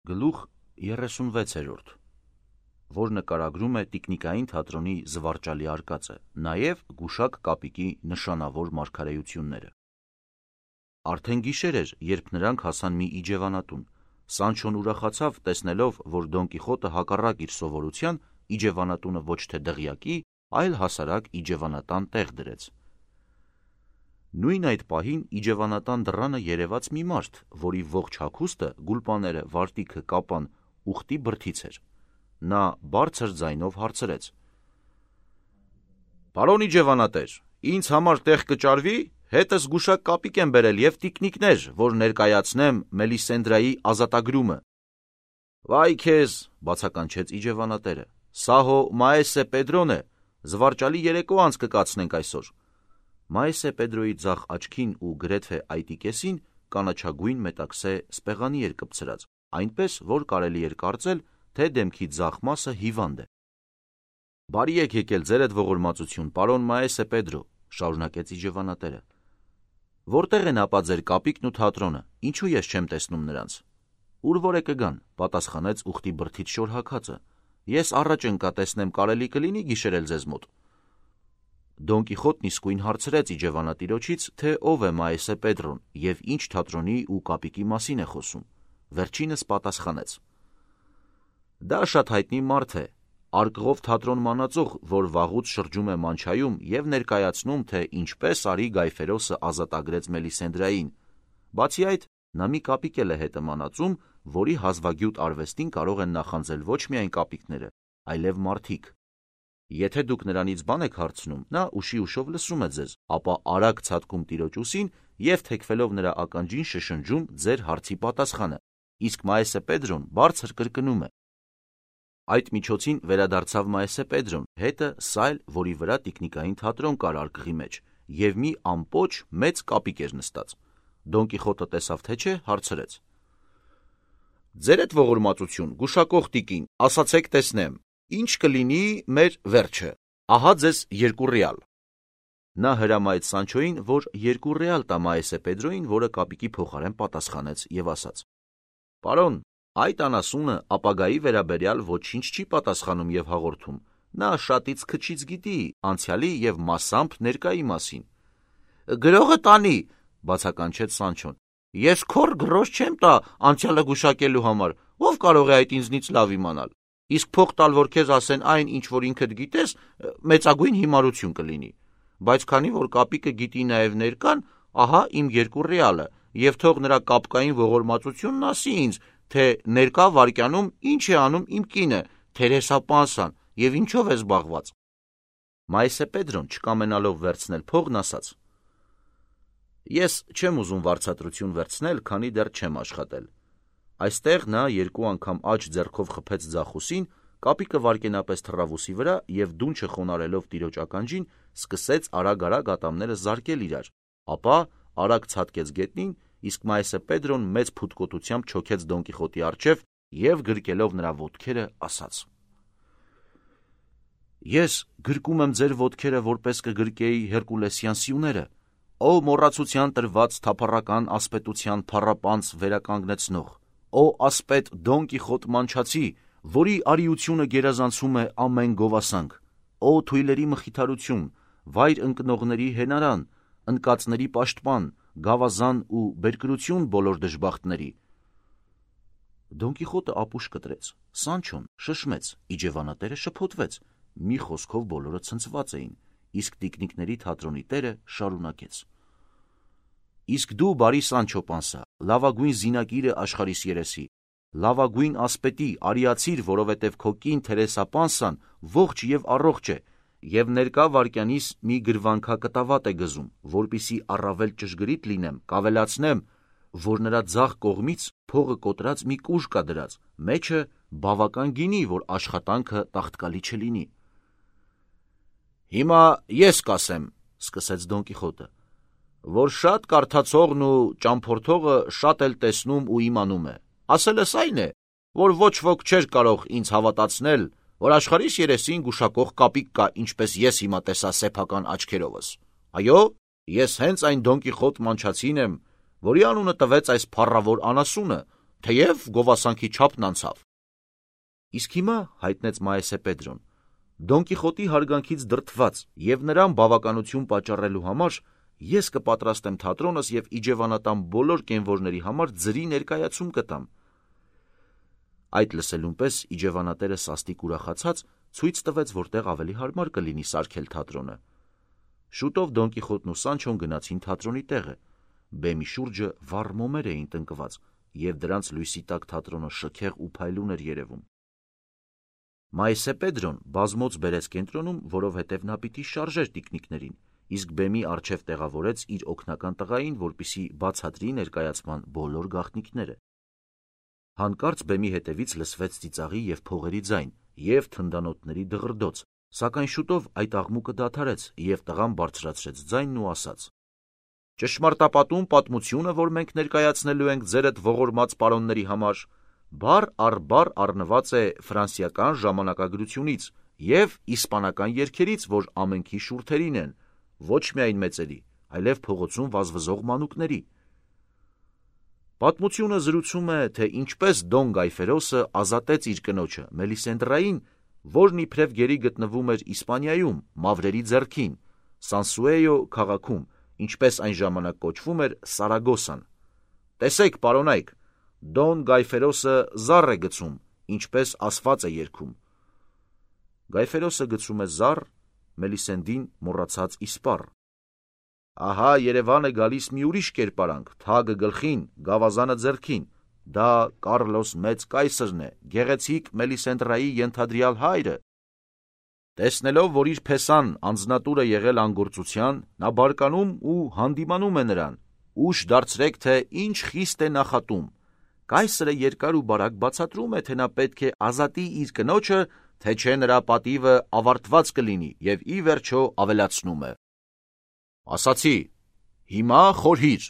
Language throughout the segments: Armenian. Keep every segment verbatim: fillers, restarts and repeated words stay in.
Գլուխ երեսունվեցերորդ, որ նկարագրում է տիկնիկային թատրոնի զվարճալի արկածը, նաև գուշակ կապիկի նշանավոր մարգարեությունները։ Արդեն գիշեր էր, երբ նրանք հասան մի իջևանատուն։ Սանչոն ուրախացավ, տեսնելով, որ Դոն Կիխոտը հակառակ իր սովորության իջևանատունը ոչ թե դղյակի, այլ հասարակ իջևանատան տեղ դրեց։ Նույն այդ պահին իջևանատան դռանը երևաց մի մարդ, որի ողջ հագուստը, գուլպաները, վարտիքը, կապան ուխտի բրդից էր։ Նա բարձր ձայնով հարցրեց. «Պարոն իջևանատեր, ինձ համար տեղ կճարվի, հետս գուշակ կապիկ եմ բերել և տիկնիկներ, որ ներկայացնեմ Մելիսենդրայի ազատագրումը»։ «Վայ քեզ», բացականչեց իջևանատերը, «սա հո Մայեսե Պետրոն է, զվարճալի երեկո անց կկացնենք այսօր»։ Մայեսե Պետրոյի ձախ աչքին ու գրեթե այտի կեսին կանաչագույն մետաքսե սպեղանի էր կպցրած, այնպես, որ կարելի էր կարծել, թե դեմքի ձախ մասը հիվանդ է։ «Բարի եք եկել, ձերդ ողորմածություն, պարոն Մայեսե Պետրո», շարունակեց իջևանատերը։ «Որտեղ են ապա ձեր կապիկն ու թատրոնը, ինչու ես չեմ տեսնում նրանց»։ «Ուր որ է կգան», պատասխանեց ուխտի բրդից շորհաքածը, «ես առաջ ընկա տեսնեմ կարելի կլինի գիշերել ձեզ մոտ»։ Դոն Կիխոտն իսկույն հարցրեց իջևանատիրոջից, թե ով է Մայեսե Պետրոն և ինչ թատրոնի ու կապիկի մասին է խոսում։ Վերջինս պատասխանեց. «Դա շատ հայտնի մարդ է, արկղով թատրոն մանածող, որ վաղուց շրջում է Մանչայում և ներկայացնում, թե ինչպես արի Գայֆերոսը ազատագրեց Մելիսենդրային։ Բացի այդ, նա մի կապիկ էլ է հետը մանածում, որի հազվագյուտ արվեստին կարող են նախանձել ոչ միայն կապիկները, այլև մարդիկ։ Եթե դուք նրանից բան եք հարցնում, նա ուշի ուշով լսում է ձեզ, ապա արագ ցատկում տիրոջ ուսին և թեքվելով նրա ականջին շշնջում ձեր հարցի պատասխանը, իսկ Մայեսե Պետրոն բարձր կրկնում է»։ Այդ միջոցին վերադարձավ Մայեսե Պետրոն, հետը սայլ, որի վրա տիկնիկային թատրոն կար արկղի մեջ, և մի ամպոչ մեծ կապիկ էր նստած։ Դոն Կիխոտը տեսավ, թե չէ, հարցրեց. «Ձերդ ողորմածություն, գուշակող տիկին, ասացեք տեսնեմ, ինչ կլինի մեր վերջը, ահա ձեզ երկու ռեալ»։ Նա հրամայեց Սանչոյին, որ երկու ռեալ տա Մայեսե Պետրոյին, որը կապիկի փոխարեն պատասխանեց և ասաց. «Պարոն, այդ անասունը ապագայի վերաբերյալ ոչինչ չի պատասխանում և հաղորդում, նա շատից քչից գիտի անցյալի և մասամբ ներկայի մասին»։ «Գրողը տանի», բացականչեց Սանչոն, «ես քոռ գրոշ չեմ տա անցյալը գուշակելու համար, ով կարող է այդ ինձնից լավ իմանալ, իսկ փող տալ, որ քեզ ասեն այն, ինչ որ ինքդ գիտես, մեծագույն հիմարություն կլինի, բայց քանի որ կապիկը գիտի նաև ներկան, ահա իմ երկու ռեալը, և թող նրա կապկային ողորմածությունն ասի ինձ, թե ներկա վայրկյանում ինչ է անում իմ կինը, Թերեսա Պանսան, և ինչով է զբաղված»։ Մայեսե Պետրոն, չկամենալով վերցնել փողն, ասաց. «Ես չեմ ուզում վարձատրություն վերցնել, քանի դեռ չեմ աշխատել»։ Այստեղ նա երկու անգամ աջ ձեռքով խփեց ձախ ուսին, կապիկը վայրկենապես թռավ ուսի վրա և դունչը խոնարհելով տիրոջ ականջին, սկսեց արագ-արագ ատամները զարկել իրար, ապա արագ ցատկեց գետնին, իսկ Մայեսե Պետրոն մեծ փութկոտությամբ չոքեց Դոն Կիխոտի առջև և գրկելով նրա ոտքերը, ասաց. «Ես գրկում եմ ձեր ոտքերը, որպես կգրկեի Հերկուլեսյան սյուները, ո մոռացության տրված թափառական ասպետության փառապանծ վերականգնեցնող, ո ասպետ Դոն Կիխոտ մանչացի, որի արիությունը գերազանցում է ամեն գովասանք, ո թույլերի մխիթարություն, վայր ընկնողների հենարան, ընկածների պաշտպան, գավազան ու բերկրություն բոլոր դժբախտների»։ Դոն Կիխոտը ապուշ կտրեց, Սանչոն շշմեց, իջևանատերը շփոթվեց, մի խոսքով բոլորը ցնցված էին, իսկ տիկնիկների թատրոնի տերը շարունակեց. «Իսկ դու, բարի Սանչո Պանսա, լավագույն զինակիրը աշխարհիս երեսի, լավագույն ասպետի, արիացիր, որովհետև քո կին Թերեսա Պանսան ողջ և առողջ է, և ներկա վայրկյանիս մի գրվանքակտավատ է գզում, որպեսզի առավել ճշգրիտ լինեմ, կավելացնեմ, որ նրա ձախ կողմից փողը կոտրած մի կուժ կա դրած, մեջը բավական գինի, որ աշխատանքը տաղտկալի չլինի»։ «Հիմա ես կասեմ», սկսեց Դոն Կիխոտը, «որ շատ կարդացողն ու ճամփորդողը շատ էլ տեսնում ու իմանում է, ասելս այն է, որ ոչ ոք չէր կարող ինձ հավատացնել, որ աշխարհիս երեսին գուշակող կապիկ կա, ինչպես ես հիմա տեսա սեփական աչքերովս։ Այո, ես հենց այն Դոն Կիխոտ մանչացին եմ, որի անունը տվեց այս փառավոր անասունը, թեև գովասանքի չափն անցավ։ Իսկ հիմա, հայտնեց Մայեսե Պետրոն, Դոն Կիխոտի հարգանքից դրդված եւ նրան բավականություն պատճառելու համար ես կպատրաստեմ թատրոնս եւ իջևանատան բոլոր կենվորների համար ձրի ներկայացում կտամ։ Այդ լսելուն պես իջևանատերը սաստիկ ուրախացած ցույց տվեց, որտեղ ավելի հարմար կլինի սարքել թատրոնը։ Շուտով Դոն Կիխոտն ու Սանչոն գնացին թատրոնի տեղը։ Բեմի շուրջը վառ մոմեր էին տնկված եւ դրանց լույսի տակ թատրոնը շքեղ ու փայլուն էր երևում։ Մայեսե Պետրոն բազմոց բերեց կենտրոնում, որովհետև նա պիտի շարժեր տիկնիկներին, իսկ բեմի առջև տեղավորեց իր օգնական տղային, որպիսի բացատրի ներկայացման բոլոր գաղտնիքները։ Հանկարծ բեմի հետևից լսվեց ծիծաղի եւ փողերի ձայն եւ թնդանոթների դղրդոց, սակայն շուտով այդ աղմուկը դադարեց եւ տղան բարձրացրեց ձայնն ու ասաց. «Ճշմարտապատում պատմությունը, որ մենք ներկայացնելու ենք ձերդ ողորմած պարոնների համար, բառ առ բառ առնված է ֆրանսիական ժամանակագրությունից եւ իսպանական երգերից, որ ամենքի շուրթերին են, ոչ միայն մեծերի, այլև փողոցում վազվզող մանուկների։ Պատմությունը զրուցում է, թե ինչպես Դոն Գայֆերոսը ազատեց իր կնոջը Մելիսենդրային, որն իբրև գերի գտնվում էր Իսպանիայում, մավրերի ձեռքին, Սանսուեյո քաղաքում, ինչպես այն ժամանակ կոչվում էր Սարագոսան։ Տեսեք, պարոնայք, Դոն Գայֆերոսը զառ է գցում, ինչպես ասված է երգում։ Գայֆերոսը գցում է զառ, Մելիսենդին մոռացած իսպառ։ Ահա Երևան է գալիս մի ուրիշ կերպարանք, թագը գլխին, գավազանը ձեռքին, դա Կարլոս մեծ կայսրն է, գեղեցիկ Մելիսենդրայի ենթադրյալ հայրը։ Տեսնելով, որ իր փեսան անձնատուրը եղել անգործության, նա բարկանում ու հանդիմանում է նրան, ուշ դարձրեք, թե ինչ խիստ է նախատում։ Կայսրը երկար ու բարակ բացատրում է, թե նա պետք է ազատի իր կնոջը, թե չէ նրա պատիվը ավարտված կլինի եւ ի վերջո ավելացնում է. Ասացի, հիմա խորհիր։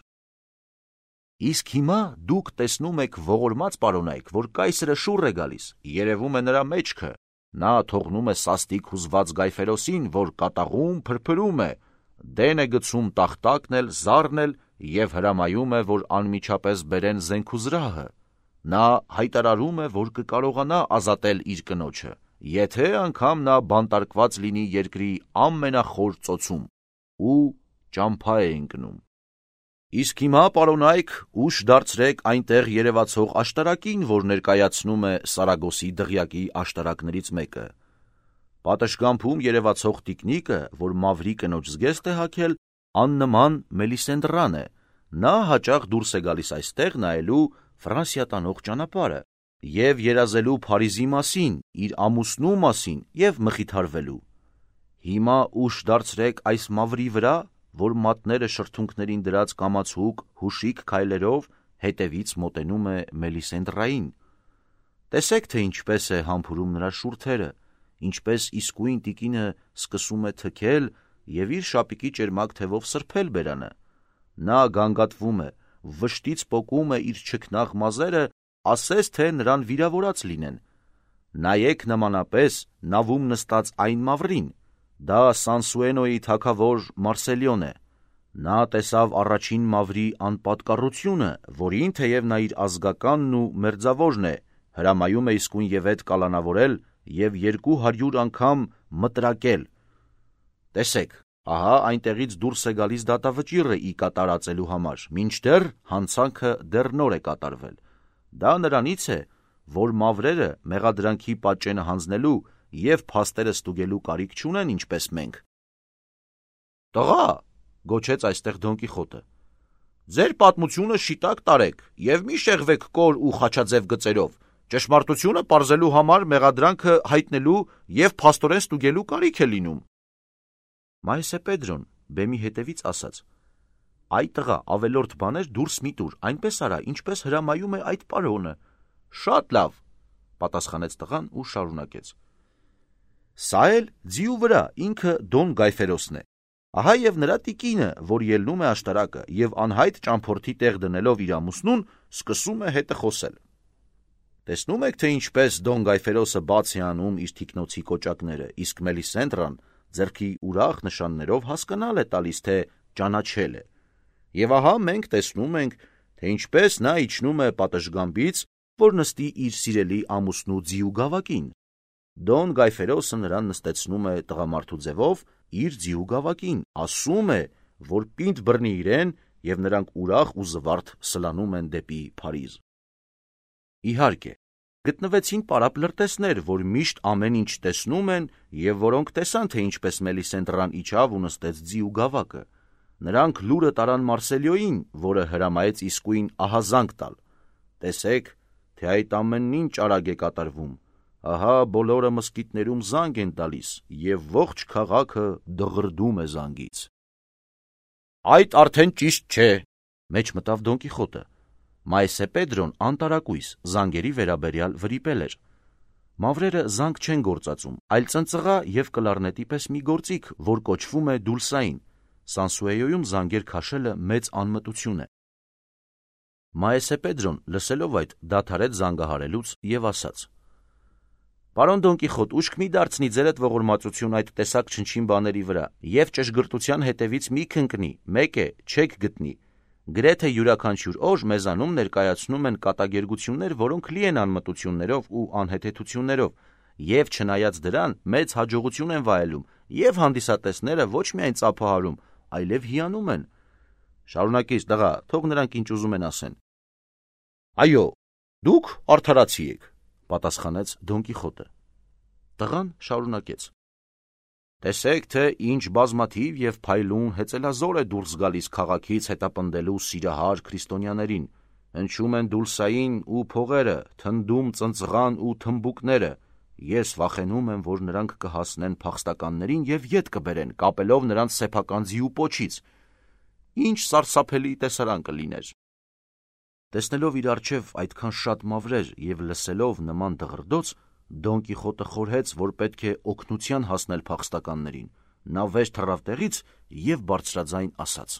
Իսկ հիմա դուք տեսնում եք ողորմած պարոնայք, որ կայսրը շուռ է գալիս, երևում է նրա մեջքը, նա թողնում է սաստիկ հուզված Գայֆերոսին, որ կատաղում փրփրում է, դեն է գցում տախտակն էլ, զառն էլ եւ հրամայում է, որ անմիջապես բերեն զենքուզրահը։ Նա հայտարարում է, որ կկարողանա ազատել իր կնոջը, եթե անգամ նա բանտարկված լինի երկրի ամենախոր ծոցում ու ճամփա է ընկնում։ Իսկ հիմա, պարոնայք, ուշ դարձրեք այնտեղ երևացող աշտարակին, որ ներկայացնում է Սարագոսի դղյակի աշտարակներից մեկը։ Պատշգամբում երևացող տիկնիկը, որ մավրի կնոջ զգեստ է հագել, աննման Մելիսենդրան է, նա հաճախ դուրս է գալիս այստեղ նայելու Ֆրանսիա տանող ճանապարհը եւ երազելու Փարիզի մասին, իր ամուսնու մասին եւ մխիթարվելու։ Հիմա ուշ դարձրեք այս մավրի վրա, որ մատները շրթունքներին դրած կամացուկ հուշիկ քայլերով հետևից մոտենում է Մելիսենդրային։ Տեսեք, թե ինչպես է համբուրում նրա շուրթերը, ինչպես իսկույն տիկինը սկսում է թքել եւ իր շապիկի ճերմակ թևով սրբել բերանը։ Նա գանգատվում է, վշտից պոկում է իր չքնաղ մազերը, ասես թե նրան վիրավորած լինեն։ Նայեք նմանապես նավում նստած այն մավրին, դա Սանսուենոյի թագավոր Մարսելիոն է։ Նա տեսավ առաջին մավրի անպատկառությունը, որին թեև նա իր ազգականն ու մերձավորն է, հրամայում է իսկույն եւ այդ կալանավորել եւ երկու հարյուր անգամ մտրակել։ Տեսեք, ահա այնտեղից դուրս է գալիս դատավճիռը ի կատարածելու համար, մինչդեռ հանցանքը դեռ նոր է կատարվել։ Դա նրանից է, որ մավրերը մեղադրանքի պատճենը հանձնելու եւ փաստերը ստուգելու կարիք չունեն, ինչպես մենք։ Տղա, գոչեց այստեղ Դոն Կիխոտը, ձեր պատմությունը շիտակ տարեք եւ մի շեղվեք կոր ու խաչաձև գծերով, ճշմարտությունը պարզելու համար մեղադրանքը հայտնելու եւ փաստորեն ստուգելու կարիք է լինում։ Մայեսե Պետրոն բեմի հետևից ասաց. Այ տղա, ավելորդ բաներ դուրս մի տուր, այնպես արա, ինչպես հրամայում է այդ պարոնը։ Շատ լավ, պատասխանեց տղան ու շարունակեց. Սա էլ ձիու վրա ինքը Դոն Գայֆերոսն է։ Ահա եւ նրա տիկինը, որ ելնում է աշտարակը եւ անհայտ ճամփորդի տեղ դնելով իր ամուսնուն, սկսում է հետը խոսել։ Տեսնում եք, թե ինչպես Դոն Գայֆերոսը բաց է անում իր թիկնոցի կոճակները, իսկ Մելիսենդրան ձեռքի ուրախ նշաններով հասկանալ է տալիս, թե ճանաչել է։ Եվ ահա մենք տեսնում ենք, թե ինչպես նա իջնում է պատշգամբից, որ նստի իր սիրելի ամուսնու ձիու գավակին։ Դոն Գայֆերոսը նրան նստեցնում է տղամարդու ձևով իր ձիու գավակին, ասում է, որ պինդ բռնի իրեն, և նրանք ուրախ ու զվարթ սլանում են դեպի Փարիզ։ Իհարկե, գտնվեցին պարապ լրտեսներ, որ միշտ ամեն ինչ տեսնում են և որոնք տեսան, թե ինչպես Մելիսենդրան իջավ ու նստեց ձիու գավակը։ Նրանք լուրը տարան Մարսելիոյին, որը հրամայեց իսկույն ահազանգ տալ։ Տեսեք, թե այդ ամենն ինչ արագ է կատարվում։ Ահա բոլորը մզկիթներում զանգ են տալիս, և ողջ քաղաքը դղրդում է զանգից։ Այդ արդեն ճիշտ չէ, մեջ մտավ Դոն Կիխոտը։ Մայսե Պետրոն անտարակույս զանգերի վերաբերյալ վրիպել էր։ Մավրերը զանգ չեն գործածում, այլ ծնծղա և կլարնետի պես մի գործիք, որ կոչվում է դուլսային։ Սանսուեյոյում զանգեր քաշելը մեծ անմտություն է։ Մայսե Պետրոն լսելով այդ դադարեց զանգահարելուց և ասաց. Պարոն Դոն Կիխոտ, ուշք մի դարձնի ձերդ ողորմածություն այդ տեսակ չնչին բաների վրա, և ճշգրտության հետևից մի քնկնի, մեկ է, չեք գտնի։ Գրեթե յուրաքանչյուր օր մեզանում ներկայացնում են կատակերգություններ, որոնք լի են անմտություններով ու անհեթեթություններով, և չնայած դրան մեծ հաջողություն են վայելում, և հանդիսատեսները ոչ միայն ծափահարում, այլև հիանում են։ Շարունակիր, տղա, թող նրանք ինչ ուզում են ասեն։ Այո, դուք արդարացի եք, պատասխանեց Դոն Կիխոտը։ Տղան շարունակեց. Տեսեք, թե ինչ բազմաթիվ և փայլուն հեծելազոր է դուրս գալիս քաղաքից հետապնդելու սիրահար քրիստոնյաներին, հնչում են դուլսային ու փողերը, թնդում ծնծղան ու թմբուկները, ես վախենում եմ, որ նրանք կհասնեն փախստականներին և ետ կբերեն, կապելով նրանց սեփական ձիու պոչից, ինչ սարսափելի տեսարան կլիներ։ Տեսնելով իր առջև այդքան շատ մավրեր և լսելով նման դղրդոց, Դոն Կիխոտը խորհեց, որ պետք է օգնության հասնել փախստականներին։ Նա վեր թռավ տեղից և բարձրաձայն ասաց.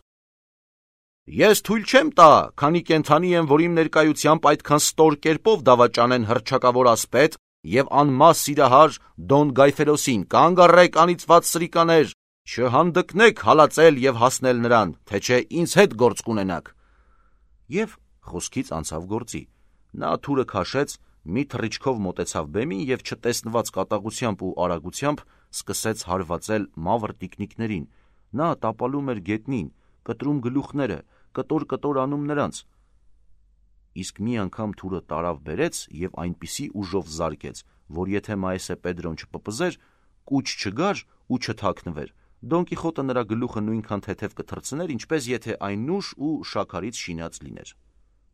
Ես թույլ չեմ տա, քանի կենդանի եմ, որ իմ ներկայությամբ այդքան ստոր կերպով դավաճանեն հռչակավոր ասպետ և անմաս սիրահար Դոն Գայֆերոսին, կանգ առեք անիծված սրիկաներ, չհանդգնեք հալածել և հասնել նրան, թե չէ ինձ հետ գործ կունենաք։ Եվ խոսքից անցավ գործի։ Նա թուրը քաշեց, մի թռիչքով մոտեցավ բեմին և չտեսնված կատաղությամբ ու արագությամբ սկսեց հարվածել մավր տիկնիկներին։ Նա տապալում էր գետնին, կտրում գլուխները, կտոր-կտոր անում նրանց։ Իսկ մի անգամ թուրը տարավ բերեց և այնպիսի ուժով զարկեց, որ եթե Մայսե Պետրոն չպպզեր, կուչ չգար ու չթաքնվեր, Դոն Կիխոտը նրա գլուխը նույնքան թեթև կթռցներ, ինչպես եթե այն նուշ ու շաքարից շինած լիներ։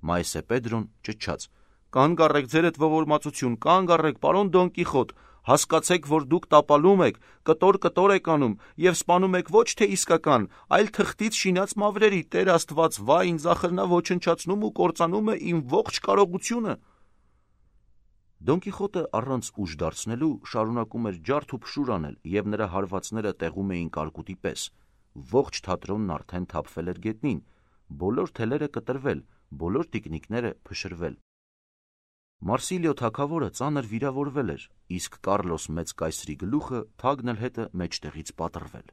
Մայսե Պետրոն ճչաց. Կանգ առեք ձերդ ողորմածություն, կանգ առեք, պարոն Դոն Կիխոտ, հասկացեք, որ դուք տապալում եք, կտոր-կտոր եք անում և սպանում եք ոչ թե իսկական, այլ թղթից շինած մավրերի, Տեր Աստված, վայ, ինձ ախր նա ոչնչացնում ու կործանում է իմ ողջ կարողությունը։ Դոն Կիխոտը առանց ուժ դարձնելու շարունակում էր ջարդ ու փշուր անել, և նրա հարվածները տեղում էին կարկուտի պես։ Ողջ թատրոնն արդեն թափվել էր գետնին, բոլոր թելերը կտրվել, բոլոր տիկնիկները փշրվել։ Մարսիլիո թագավորը ծանր վիրավորվել էր, իսկ Կառլոս Մեծ կայսրի գլուխը թագն էլ հետը մեջտեղից պատռվել։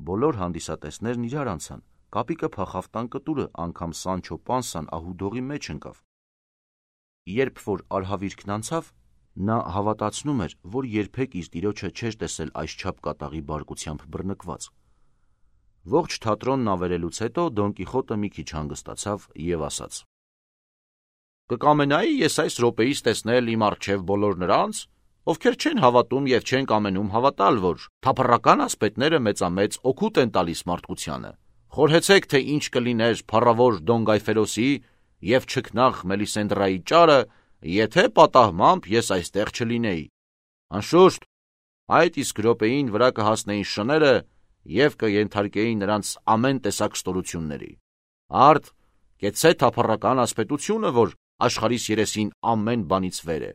Բոլոր հանդիսատեսներն իրար անցան, կապիկը փախավ տան կտուրը, անգամ Սանչո Պանսան ահուդողի մեջ ընկավ։ Երբ որ արհավիրքն անցավ, նա հավատացնում էր, որ երբեք իր տիրոջը չէր տեսել այսչափ կատաղի բարկությամբ բռնկված։ Ողջ թատրոնն ավերելուց հետո Դոն Կիխոտը մի քիչ հանգստացավ և ասաց. Կկամենայի ես այս րոպեից տեսնել իմ առջև բոլոր նրանց, ովքեր չեն հավատում և չեն կամենում հավատալ, որ թափառական ասպետները մեծամեծ օգուտ են տալիս մարդկությանը։ Խորհեցեք, թե ինչ կլիներ փառավոր Դոն Գայֆերոսի և չքնաղ Մելիսենդրայի ճարը, եթե պատահմամբ ես այստեղ չլինեի։ Անշուշտ, այդ իսկ րոպեին վրա կհասնեին շները և կենթարկեին նրանց ամեն տեսակ ստորությունների։ Արդ, կեցցե թափառական ասպետությունը, որ աշխարհիս երեսին ամեն բանից վեր է։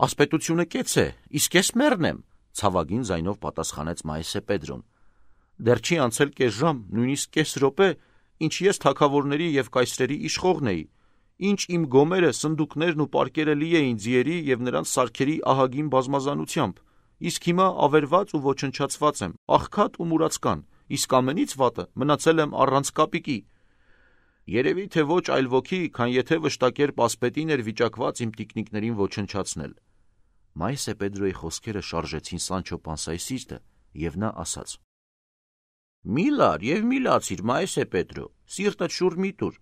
Ասպետությունը կեց է, իսկ ես մեռն եմ, ցավագին ձայնով պատասխանեց Մայսե Պետրոն։ Դեռ չի անցել կես ժամ, նույնիսկ կես րոպե, ինչ ես թագավորների և կայսրերի իշխողն էի, ինչ իմ գոմերը, սնդուկներն ու պարկերը լի էին ձիերի և նրանց սարքերի ահագին բազմազանությամբ, իսկ հիմա ավերված ու ոչնչացված եմ, աղքատ ու մուրացկան, իսկ ամենից վատը մնացել եմ առանց կապիկի։ Երևի թե ոչ այլ ոգի, քան եթե վշտակեր պասպետին էր վիճակված իմ տիկնիկներին ոչնչացնել։ Մայսե Պետրոյի խոսքերը շարժեցին Սանչո Պանսայի սիրտը, եւ նա ասաց. «Մի լար եւ մի լացիր, Մայսե Պետրո, սիրտդ շուռ մի տուր։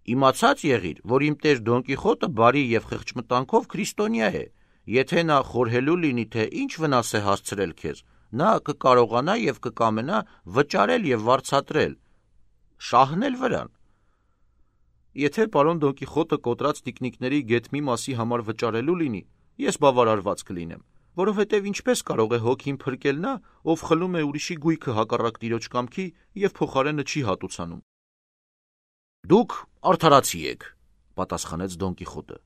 Իմացած եղիր, որ իմ տեր Դոն Կիխոտը բարի եւ խղճմտանքով քրիստոնյա է, եթե նա խորհելու լինի, թե ինչ վնաս է հասցրել քեզ, նա կկարողանա եւ կկամենա վճարել եւ վարձատրել, շահնել վրան։ Եթե պարոն Դոն Կիխոտը կոտրած տիկնիկների գեթմի մասի համար վճարելու լինի, ես բավարարված կլինեմ, որովհետև ինչպես կարող է հոգին փրկել նա, ով խլում է ուրիշի գույքը հակառակ տիրոջ կամքի եւ փոխարենը չի հատուցանում»։ «Դուք արդարացի եք», պատասխանեց Դոն Կիխոտը,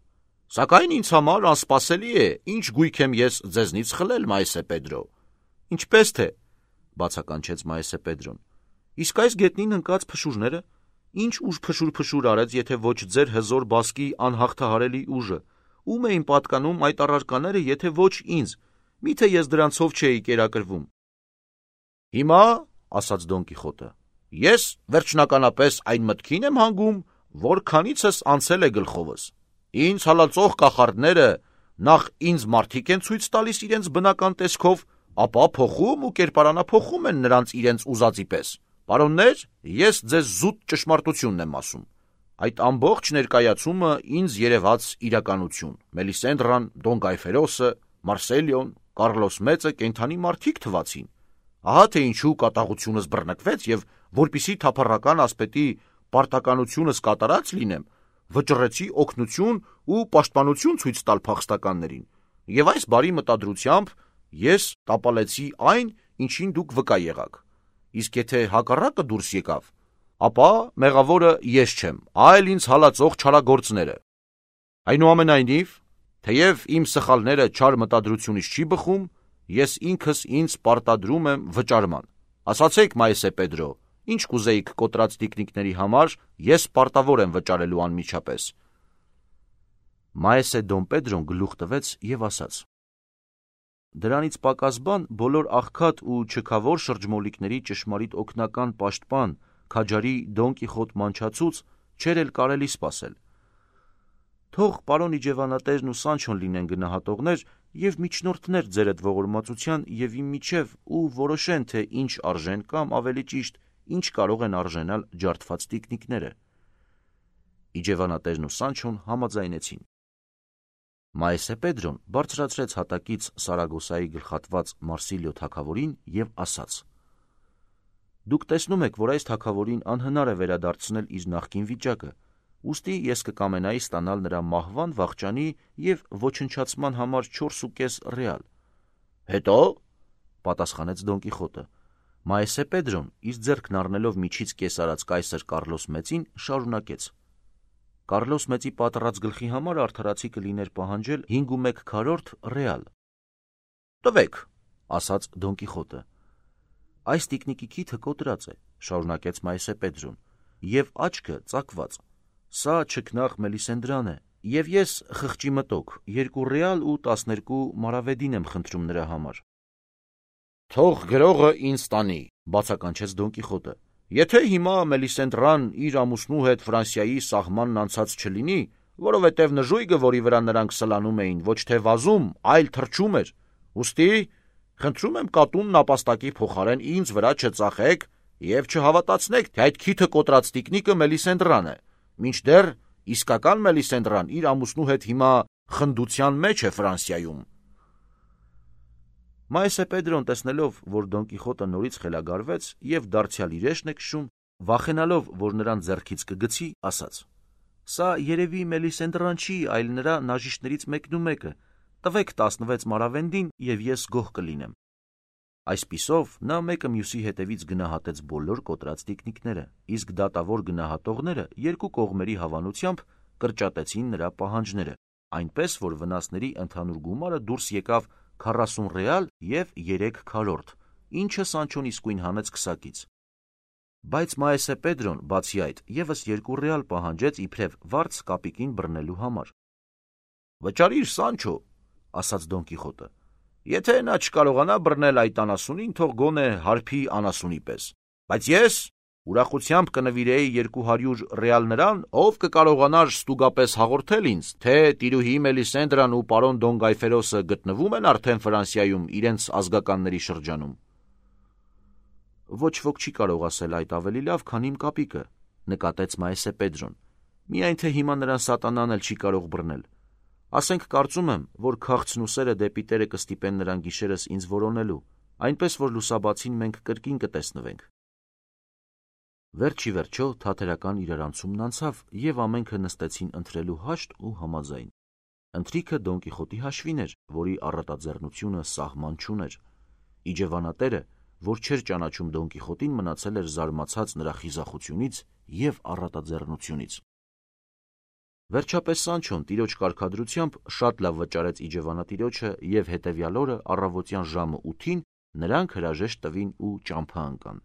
«սակայն ինձ համար անսպասելի է, ինչ գույք եմ ես ձեզնից խլել, Մայսե Պետրո»։ «Ինչպես թե», բացականչեց Մայսե Պետրոն, «իսկ այս գետնին ընկած փշուրները, ինչ ուժ փշուր-փշուր արեց, եթե ոչ ձեր հզոր բասկի անհաղթահարելի ուժը, ում էին պատկանում այդ առարկաները, եթե ոչ ինձ, միթե ես դրանցով չէի կերակրվում»։ «Հիմա, ասաց Դոն Կիխոտը, ես վերջնականապես այն մտքին եմ հանգում, որ քանիցս անցել է գլխովս։ Ինձ հալածող կախարդները նախ ինձ մարդիկ են ցույց տալիս իրենց բնական տեսքով, ապա փոխում ու կերպարանափոխում են նրանց իրենց ուզածի պես։ Պարոններ, ես ձեզ զուտ ճշմարտությունն եմ ասում։ Այդ ամբողջ ներկայացումը ինձ երևաց իրականություն։ Մելիսենդրան, Դոն Գայֆերոսը, Մարսելիոն, Կարլոս Մեծը կենդանի մարդիկ թվացին։ Ահա թե ինչու կատաղությունս բռնկվեց եւ որպիսի թափառական ասպետի պարտականությունս կատարած լինեմ, վճռեցի օգնություն ու պաշտպանություն ցույց տալ փախստականներին, եւ այս բարի մտադրությամբ ես տապալեցի այն, ինչին դուք վկա եղաք։ Իսկ եթե հակառակը դուրս եկավ, ապա մեղավորը ես չեմ, այլ ինձ հալածող չարագործները։ Այնուամենայնիվ, թեև իմ սխալները չար մտադրությունից չի բխում, ես ինքս ինձ պարտադրում եմ վճարման։ Ասացեք, Մայսե Պետրո, ինչ կուզեիք կոտրած տիկնիկների համար, ես պարտավոր եմ վճարելու անմիջապես։ Մայսե Դոն Պետրոն գլուխ տվեց եւ ասաց. «Դրանից պակաս բան բոլոր աղքատ ու չքավոր շրջմոլիկների ճշմարիտ օգնական պաշտպան, քաջարի Դոն Կիխոտ մանչացուց չէր էլ կարելի սպասել։ Թող պարոն իջևանատերն ու Սանչոն լինեն գնահատողներ եւ միջնորդներ ձեր այդ ողորմածության եւ իմ միջև ու որոշեն, թե ինչ արժեն կամ ավելի ճիշտ ինչ կարող են արժենալ ջարդված տիկնիկները»։ Իջևանատերն ու Սանչոն համաձայնեցին։ Մայսե Պետրոն բարձրացրեց հատակից Սարագոսայի գլխատված Մարսիլիո թագավորին եւ ասաց. «Դուք տեսնում եք, որ այս թագավորին անհնար է վերադարձնել իր նախկին վիճակը, ուստի ես կկամենայի ստանալ նրա մահվան, վախճանի եւ ոչնչացման համար չորսուկես ռեալ»։ «Հետո», պատասխանեց Դոն Կիխոտը։ Մայսե Պետրոն, իր ձեռքն առնելով միջից կես արած կայսր Կարլոս Մեծին, շարունակեց. «Կարլոս Մեծի պատռած գլխի համար արդարացի կլիներ պահանջել հինգումեկ քառորդ ռեալ»։ «Տվեք», ասաց Դոն Կիխոտը։ «Այս տիկնիկի քիթը կոտրած է», շարունակեց Մայսե Պետրոն, «եւ աչքը ծակված։ Սա չքնաղ Մելիսենդրան է, եւ ես խղճի մտոք երկու ռեալ ու տասներկու մարավեդին եմ խնդրում նրա համար»։ «Թող գրողը ինձ տանի», բացականչեց Դոն Կիխոտը։ «Եթե հիմա Մելիսենդրան իր ամուսնու հետ Ֆրանսիայի սահմանն անցած չլինի, որովհետև նժույգը, որի վրա նրանք սլանում էին, ոչ թե վազում, այլ թռչում էր, ուստի խնդրում եմ կատունն ապաստակի փոխարեն ինձ վրա չծախեք եւ չհավատացնեք, թե այդ քիթը կոտրած տիկնիկը Մելիսենդրան է, մինչդեռ իսկական Մելիսենդրան իր ամուսնու հետ հիմա խնդության մեջ է Ֆրանսիայում»։ Մայսե Պետրոն, տեսնելով, որ Դոն Կիխոտը նորից խելագարվեց եւ դարձյալ իրեշն է քշում, վախենալով, որ նրան ձեռքից կգցի, ասաց. «Սա երևի Մելիսենդրան չի, այլ նրա նաժիշտներից մեկնումեկը, տվեք տասնվեց մարավենդին եւ ես գոհ կլինեմ»։ Այսպիսով նա մեկը մյուսի հետևից գնահատեց բոլոր կոտրած տիկնիկները, իսկ դատավոր գնահատողները երկու կողմերի հավանությամբ կրճատեցին նրա պահանջները, այնպես որ վնասների ընդհանուր գումարը դուրս եկավ քառասուն ռեալ եւ երեք քառորդ, ինչը Սանչոն իսկույն հանեց քսակից։ Բայց Մայսե Պետրոն, բացի այդ, եւս երկու ռեալ պահանջեց իբրև վարձ կապիկին բռնելու համար։ «Վճարիր, Սանչո», ասաց Դոն Կիխոտը, «եթե նա չկարողանա բռնել այդ անասունին, թող գոնե հարբի անասունի պես, բայց ես Ուրախությամբ կնվիրեի երկու հարյուր ռեալ նրան, ով կկարողանար ստուգապես հաղորդել ինձ, թե տիրուհի Մելիսենդրան ու պարոն Դոն Գայֆերոսը գտնվում են արդեն Ֆրանսիայում իրենց ազգականների շրջանում։ Ոչ ոք չի կարող ասել այդ ավելի լավ, քան իմ կապիկը, նկատեց Մայեսե Պետրոն։ Միայն թե հիմա նրան սատանան էլ չի կարող բռնել։ Ասենք կարծում եմ, որ քաղցն ու սերը դեպի Տերը կստիպեն նրան գիշերս ինձ որոնելու, այնպես որ լուսաբացին մենք կրկին կտեսնվենք։ Վերջի վերջո թատերական իրարանցումն անցավ, եւ ամենքը նստեցին ընթրելու հաշտ ու համաձայն։ Ընթրիքը Դոն Կիխոտի հաշվին էր, որի առատաձեռնությունը սահման չուներ։ Իջևանատերը, որ չէր ճանաչում Դոն Կիխոտին, մնացել էր զարմացած նրա խիզախությունից եւ առատաձեռնությունից։ Վերջապես Սանչոն տիրոջ կարգադրությամբ շատ լավ վճարեց իջևանատիրոջը եւ հետեւյալ օրը առավոտյան ժամը ութին նրանք հրաժեշտ տվին ու ճամփա ընկան։